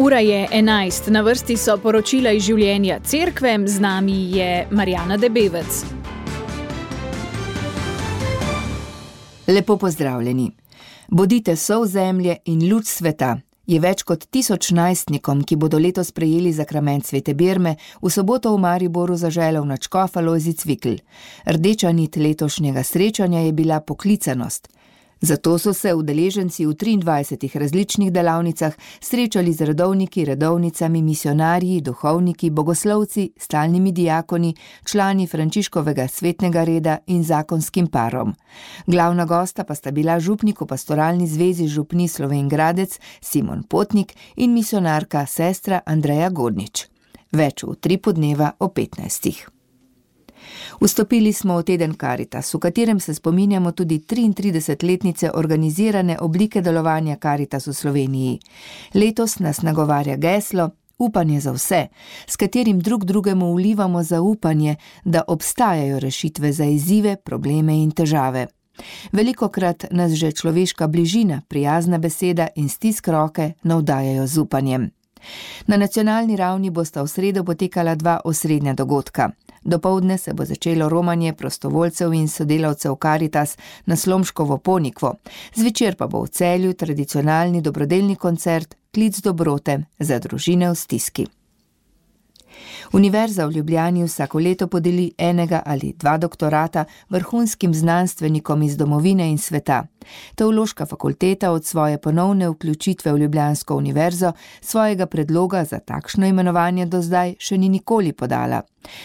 Ura je 11, na vrsti so poročila iz življenja cerkve, z nami je Marjana Debevec. Lepo pozdravljeni. Bodite sol zemlje in luč sveta je več kot 1000 najstnikom, ki bodo letos prejeli zakrament Svete Birme, v soboto v Mariboru zaželel nadškof Alojzij Cvikl. Rdeča nit letošnjega srečanja je bila poklicanost. Zato so se udeleženci v 23 različnih delavnicah srečali z redovniki, redovnicami, misionarji, duhovniki, bogoslovci, stalnimi diakoni, člani Frančiškovega svetnega reda in zakonskim parom. Glavna gosta pa sta bila župnik v pastoralni zvezi župni Slovenj Gradec Simon Potnik in misionarka sestra Andreja Godnič. Več v Utripu dneva o 15. Vstopili smo v teden Karitas, v katerem se spominjamo tudi 33-letnice organizirane oblike delovanja Karitas v Sloveniji. Letos nas nagovarja geslo Upanje za vse, s katerim drug drugemu vlivamo zaupanje, da obstajajo rešitve za izzive, probleme in težave. Velikokrat nas že človeška bližina, prijazna beseda in stisk roke navdajajo z upanjem. Na nacionalni ravni bosta v sredo potekala 2 osrednja dogodka. Dopoldne se bo začelo romanje prostovoljcev in sodelavcev Karitas na Slomškovo Ponikvo. Zvečer pa bo v Celju tradicionalni dobrodelni koncert Klic dobrote za družine v stiski. Univerza v Ljubljani vsako leto podeli 1 ali 2 doktorata vrhunskim znanstvenikom iz domovine in sveta. Teološka fakulteta od svoje ponovne vključitve v Ljubljansko univerzo svojega predloga za takšno imenovanje do zdaj še ni nikoli podala.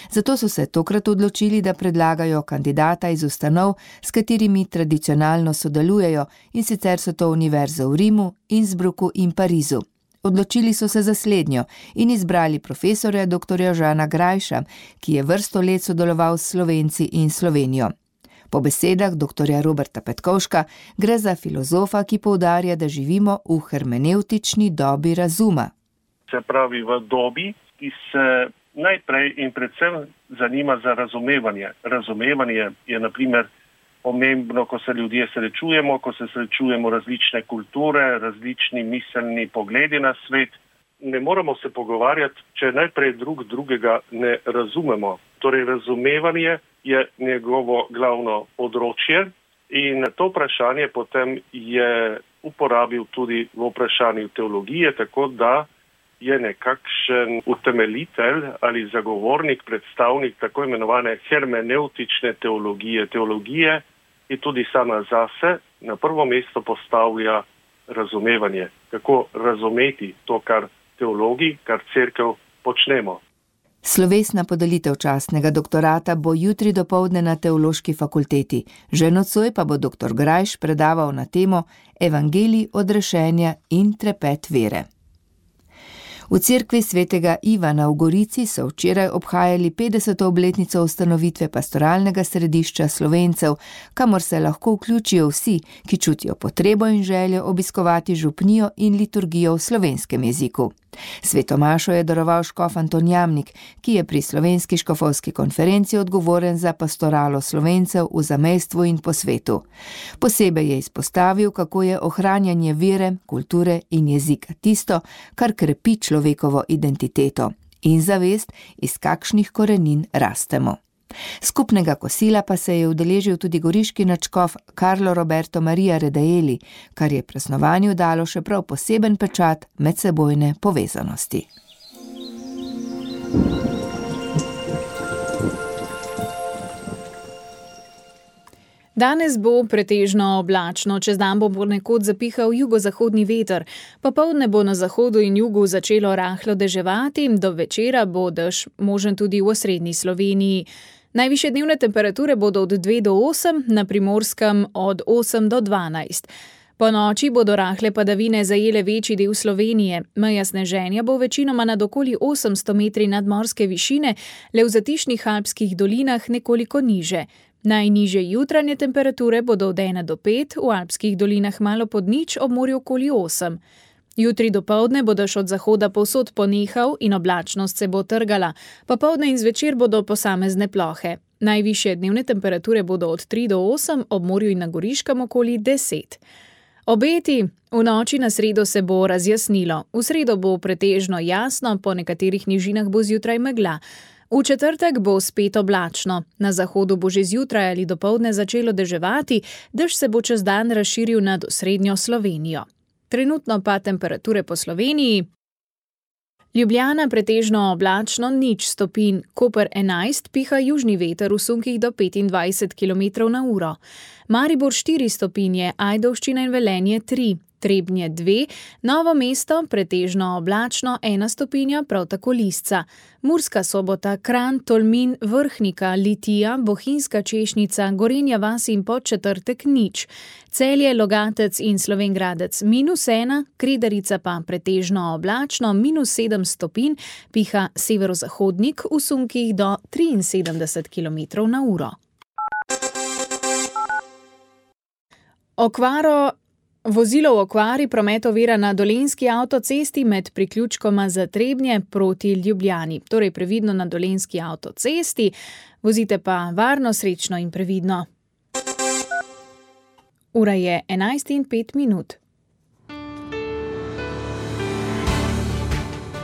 Zato so se tokrat odločili, da predlagajo kandidata iz ustanov, s katerimi tradicionalno sodelujejo, in sicer so to univerze v Rimu, Innsbrucku in Parizu. Odločili so se za slednjo in izbrali profesorja dr. Žana Grajša, ki je vrsto let sodeloval s Slovenci in Slovenijo. Po besedah dr. Roberta Petkovška gre za filozofa, ki poudarja, da živimo v hermenevtični dobi razuma. Se pravi v dobi, ki se najprej in predvsem zanima za razumevanje. Razumevanje je na primer pomembno, ko se ljudje srečujemo, ko se srečujemo različne kulture, različni miselni pogledi na svet. Ne moramo se pogovarjati, če najprej drugega ne razumemo. Torej, razumevanje je njegovo glavno področje in to vprašanje potem je uporabil tudi v vprašanju teologije, tako da je nekakšen utemeljitelj ali zagovornik, predstavnik tako imenovane hermeneutične teologije, ki tudi sama zase na prvo mesto postavlja razumevanje. Kako razumeti to, kar teologi, kar cerkev počnemo. Slovesna podelitev častnega doktorata bo jutri dopoldne na Teološki fakulteti. Že nocoj pa bo dr. Grajš predaval na temo Evangelij odrešenja in trepet vere. V cerkvi svetega Ivana v Gorici so včeraj obhajali 50. obletnico ustanovitve pastoralnega središča Slovencev, kamor se lahko vključijo vsi, ki čutijo potrebo in željo obiskovati župnijo in liturgijo v slovenskem jeziku. Sveto mašo je daroval škof Anton Jamnik, ki je pri Slovenski škofovski konferenci odgovoren za pastoralo Slovencev v zamejstvu in po svetu. Posebej je izpostavil, kako je ohranjanje vere, kulture in jezika tisto, kar krepi človekovo identiteto in zavest, iz kakšnih korenin rastemo. Skupnega kosila pa se je udeležil tudi goriški nadškof Carlo Roberto Maria Redaeli, kar je praznovanju dalo še prav poseben pečat medsebojne povezanosti. Danes bo pretežno oblačno, čez dan bo ponekod zapihal jugozahodni veter. Popoldne bo na zahodu in jugu začelo rahlo deževati, do večera bo dež možen tudi v osrednji Sloveniji. Najvišje dnevne temperature bodo od 2 do 8, na Primorskem od 8 do 12. Po noči bodo rahle padavine zajele večji del Slovenije. Meja sneženja bo večinoma nad okoli 800 metri nadmorske višine, le v zatišnih alpskih dolinah nekoliko niže. Najnižje jutranje temperature bodo od 1 do 5, v alpskih dolinah malo pod nič, ob morju okoli 8. Jutri dopoldne bo dež od zahoda povsod ponehal in oblačnost se bo trgala. Popoldne in zvečer bodo posamezne plohe. Najvišje dnevne temperature bodo od 3 do 8, ob morju in na Goriškem okoli 10. Obeti: v noči na sredo se bo razjasnilo. V sredo bo pretežno jasno, po nekaterih nižinah bo zjutraj megla. V četrtek bo spet oblačno. Na zahodu bo že zjutraj ali dopoldne začelo deževati, dež se bo čez dan razširil nad osrednjo Slovenijo. Trenutno pa temperature po Sloveniji: Ljubljana pretežno oblačno 0 stopinj, Koper 11, piha južni veter v sunkih do 25 km/h. Maribor 4 stopinje, Ajdovščina in Velenje 3, Trebnje 2, Novo mesto pretežno oblačno 1 stopinja, prav tako Lisca. Murska Sobota, Kranj, Tolmin, Vrhnika, Litija, Bohinjska Češnica, Gorenja vas in Podčetrtek 0. Celje, Logatec in Slovenj Gradec -1, Kredarica pa pretežno oblačno -7 stopinj, piha severozahodnik v sunkih do 73 km/h. Vozilo v okvari, promet ovira na Dolenjski avtocesti med priključkoma za Trebnje proti Ljubljani. Torej previdno na Dolenjski avtocesti, vozite pa varno, srečno in previdno. Ura je 11:05.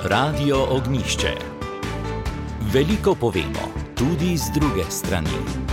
Radio Ognjišče. Veliko povemo, tudi z druge strani.